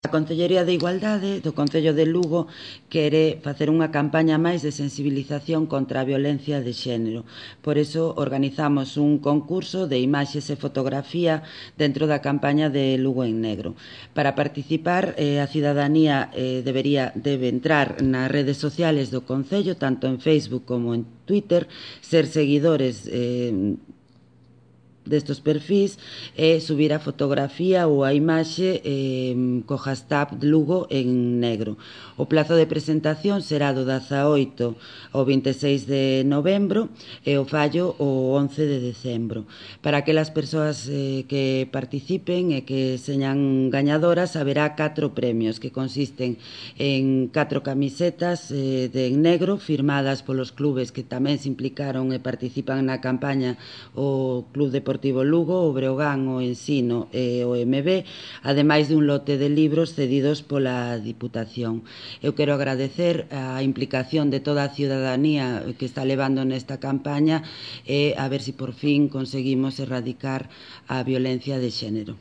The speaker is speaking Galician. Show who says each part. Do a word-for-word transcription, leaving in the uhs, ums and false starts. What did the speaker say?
Speaker 1: A Concellería de Igualdade do Concello de Lugo quere facer unha campaña máis de sensibilización contra a violencia de xénero. Por iso organizamos un concurso de imaxes e fotografía dentro da campaña de Lugo en Negro. Para participar, eh, a cidadanía eh, debería, debe entrar nas redes sociales do Concello, tanto en Facebook como en Twitter, ser seguidores eh, destos perfís e subir a fotografía ou a imaxe eh, co hashtag Lugo en negro. O plazo de presentación será do dezaoito ao vinte e seis de novembro e o fallo o once de decembro. Para aquelas persoas eh, que participen e que señan gañadoras, haberá catro premios que consisten en catro camisetas eh, de en negro firmadas polos clubes que tamén se implicaron e participan na campaña, o Club Deportivo Lugo, o Breogán, o Ensino e o M B, ademais de un lote de libros cedidos pola Diputación. Eu quero agradecer a implicación de toda a ciudadanía que está levando nesta campaña e a ver se por fin conseguimos erradicar a violencia de xénero.